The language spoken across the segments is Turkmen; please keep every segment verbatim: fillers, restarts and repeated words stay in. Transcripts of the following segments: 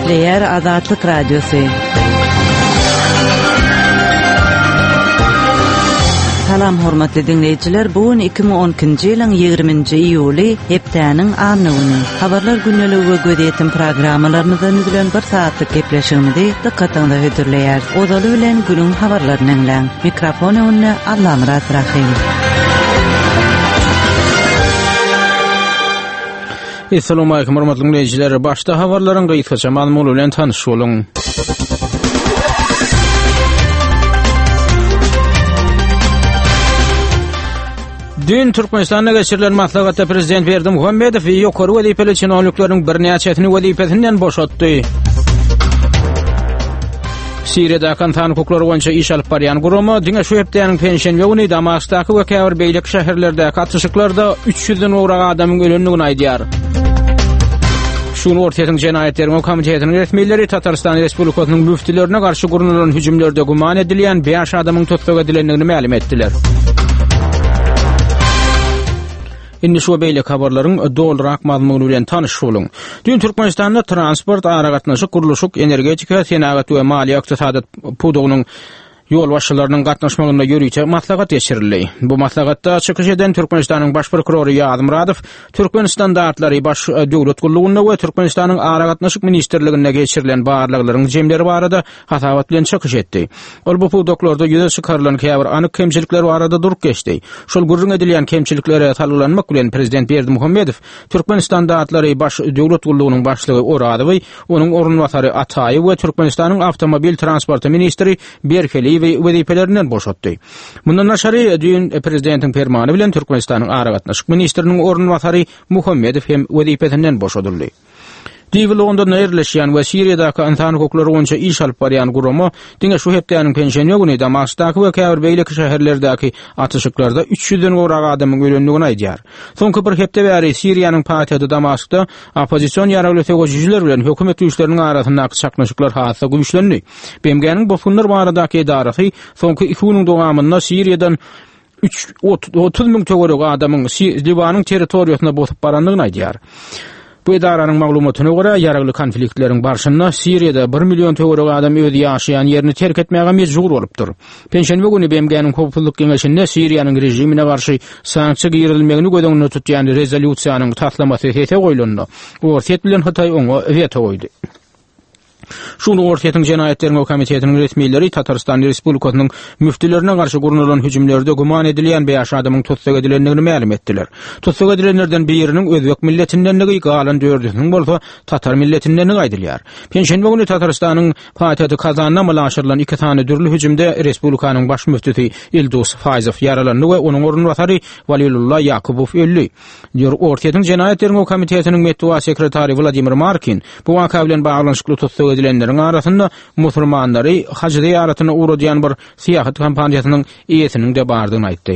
Gepleýär Azatlyk Radiosy. Salam hormatly diňleýjiler, bu gün iki müň on ikinji ýylyň ýigriminji iýuly, hepdäniň anna güni. Habarlar gündeligi we gözýetim programmalarymyzdan düzülen bir saatlyk gepleşigimizi dykgatyňyza hödürleýäris. Ozaly bilen günüň habarlaryny diňläň. Mikrofon öňünde Allamyrat Rahim. Assalamu alaykum hormatly dinleýjiler. Başda habarlaryň gysgaça mazmuny bilen tanyş boluň. Dün Türkmenistanda geçirilen maslahatda Prezident Berdimuhamedow ýokary wezipeli çinownikleriň birnäçesini wezipesinden boşatdy. Siriýada insan hukuklary boýunça iş alyp barýan gurama diňe şu hepdäniň penşenbe güni Damaskdaky we käbir beýleki şäherlerdäki atyşyklarda üç ýüzden gowrak adamyň ölendigini aýdýar. Şu gün Orsýetiň Jenaýat Derňew Komitetiniň resmileri Tatarstan Respublikasynyň müftülerine garşy gurnalan hüjümlerde güman edilýän bäş adamyň tussag edilendigini mälim etdiler. Indi şu beýleki habarlaryň dolurak mazmuny bilen tanyş boluň. Dün Türkmenistanda transport, aragatnaşyk, gurluşyk, energetika, senagat we maliýe ykdysady pudagynyň ýolbaşçylarynyň gatnaşmagynda ýörite maslahat geçirildi. Bu maslahatda çykyş eden Türkmenistanyň baş prokurory Ýaz Muradow Türkmen standartlary baş döwlet gullugynda we Türkmenistanyň aragatnaşyk ministrliginde geçirilen barlaglaryň jemleri barada hasabat bilen çykyş etdi. Ol bu pudaklarda ýüze çykarylan käbir anyk kemçilikler barada durup geçdi. Şol gürrüň edilýän kemçiliklere salgylanmak bilen Prezident Berdimuhamedow Türkmen standartlary baş döwlet gullugynyň başlygy Orazowy, onuň orunbasary Ataýew we Türkmenistanyň awtomobil transporty ministri Berkeliýewi wezipelerinden boşatdy. Mundan daşary düýn prezidentiň permany bilen Türkmenistanyň aragatnaşyk ministriniň orunbasary Muhammedow hem wezipesinden boşadyldy. Diwi Londonda ýerleşýän we Siriýadaky insan hukuklary boýunça iş alyp barýan gurama diňe şu hepdäniň penşenbe güni Damaskdaky we käbir beýleki şäherlerdäki atyşyklarda üç ýüzden gowrak adamyň ölendigini aýdýar. Soňky bir hepde bäri Siriýanyň paýtagty Damaskda oppozision ýaragly söweşijiler bilen hökümet güýçleriniň arasyndaky çaknyşyklar has-da güýçlendi. B M G-niň bosgunlar baradaky edarasy soňky iki günüň dowamynda Siriýadan üç, ot-, otuz müň töweregi adamyň Si-, Liwanyň territoriýasyna bosup barandygyny aýdýar. Bu edaranyň maglumatyna görä, ýaragly konfliktleriň barşynda Siriýada bir million töweregi adam öz ýaşaýan ýerini terk etmäge mejbur bolupdyr. Penşenbe güni B M G-niň Howpsuzlyk Geňeşinde Siriýanyň režimine garşy sanksiýa girizilmegini göz öňünde tutýan rezolýusiýanyň taslamasy sese goýulanda, Orsýet bilen Hytaý oňa weto goýdy. Şu gün Orsýetiň Jenaýat Derňew Komitetiniň resmileri Tatarstan Respublikasynyň müftülerine garşy gurnalan hüjümlerde güman edilýän bäş adamyň tussag edilendigini mälim etdiler. Tussag edilenlerden biriniň özbek milletindenligi, galan dördüsiniň bolsa tatar milletindenligi aýdylýar. Penşenbe güni Tatarstanyň paýtagty Kazanda amala aşyrylan iki sany dürli hüjümde Respublikanyň baş müftüsi Ildus Faýzow ýaralandy we onuň orunbasary Walilulla Ýakubow öldi. Orsýetiň Jenaýat Derňew Komitetiniň metbugat sekretary Wladimir Markin bu waka bilen baglanyşykly tussag edilenleriň arasynda musulmanlary haj zyýaratyna ugradýan bir syýahat kompaniýasynyň eýesiniň de bardygyny aýtdy.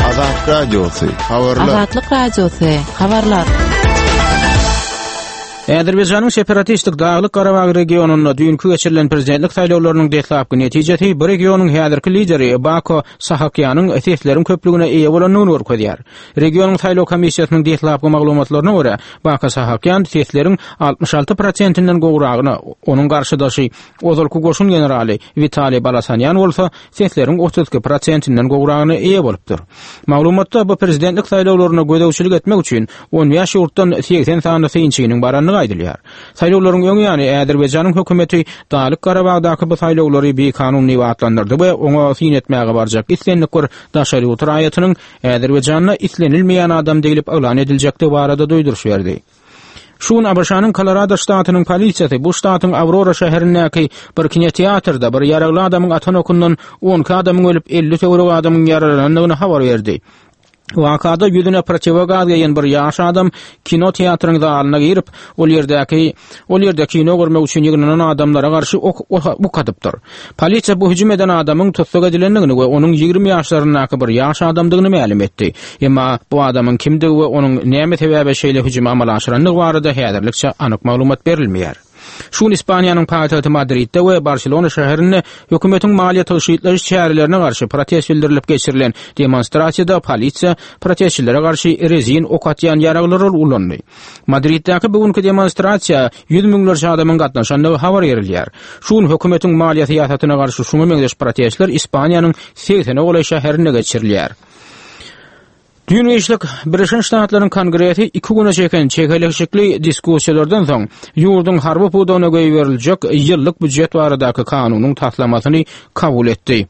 Azat Radiosy, habarlar. Azatlyk Radiosy, habarlar. Azerbaýjanyň separatistik Daglyk Garabag regionynda düýnki geçirilen prezidentlik saýlawlarynyň deslapky netijesi bu regionyň häzirki lideri Bako Sahakýanyň sesleriň köplügine eýe bolandygyny görkezýär. Regionyň saýlaw komissiýasynyň deslapky maglumatlaryna görä, Bako Sahakýan sesleriň altmyş alty prosentinden gowragyna, onuň garşydaşy ozalky goşun generaly Witaliý Balasanýan bolsa sesleriň otuz iki prosentinden gowragyna eýe bolupdyr. Maglumatda bu prezidentlik saýlawlaryna gözegçilik etmek üçin on bäş ýurtdan segsen sany synçynyň barandygy aýdylýar. Saýlawlaryň öň ýany Azerbaýjanyň hökümeti Daglyk Garabagdaky bu saýlawlary bikanun diýip atlandyrdy we oňa syn etmäge barjak islendik bir daşary ýurt raýatynyň Azerbaýjanda islenilmeýän adam diýlip yglan ediljekdigi barada duýduryş berdi. Şu gün A B Ş-nyň Kolorado ştatynyň polisiýasy bu ştatyň Aurora şäherindäki bir kinoteatrda bir ýaragly adamyň atan okundan on iki adamyň ölüp elli töweregi adamyň ýaralanandygyny habar berdi. Wakada ýüzüne protivogaz geýen bir ýaş adam kino teatryň zalyna girip, ol ýerdäki, ol ýerde kino görmek üçin ýygnanan adamlara garşy ok, ok, ok atypdyr. Polisiýa bu hüjüm eden adamyň tussag edilendigini we onuň ýigrimi ýaşlaryndaky bir ýaş adamdygyny mälim etdi. Emma bu adamyň kimdigi we onuň näme sebäbe şeýle hüjümi amala aşyrandygy barada häzirlikçe anyk maglumat berilmeýär. Şu gün Ispaniýanyň paýtagty Madridde we Barselona şäherinde hökümetiň maliýe tygşytlaýyş çärelerine garşy protest bildirilip geçirilen demonstrasiýada polisiýa protestçilere garşy rezin ok atýan ýaraglary ulandy. Madriddäki bu günkü demonstrasiýa ýüz müňlerçe adamyň gatnaşandygy habar berilýär. Şu gün hökümetiň maliýe syýasatyna garşy şuňa meňzeş protestler Ispaniýanyň segsene golaý şäherinde geçirilýär. Düýn işlik Birleşen Ştatlaryň Kongresi iki güne çeken çekeleşikli diskussiýalardan soň ýurduň harby pudagyna goýberiljek ýyllyk býujet baradaky kanunyň taslamasyny kabul etdi.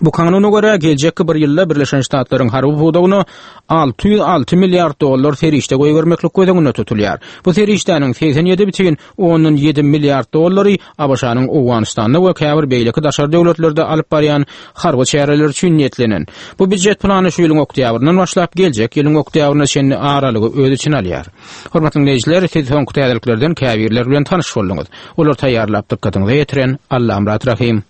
Bu kanuna görä geljekki bir ýylda Birleşen Ştatlaryň harby pudagyna alty ýüz alty milliard dollar serişde goýbermeklik göz öňünde tutulýar. Bu serişdäniň segsen ýedi bütin ondan ýedi milliard dollary A B Ş-nyň Owganystanda we käbir beýleki daşary döwletlerde alyp barýan harby çäreler üçin niýetlenen. Bu býujet plany şu ýylyň oktýabryndan başlap geljek ýylyň oktýabryna çenli aralygy öz içine alýar. Hormatly dinleýjiler, siz soňky täzeliklerden käbirler bilen tanyş bolduňyz. Olar taýýarlap dykgatyňyza ýetiren Allamyrat Rahim.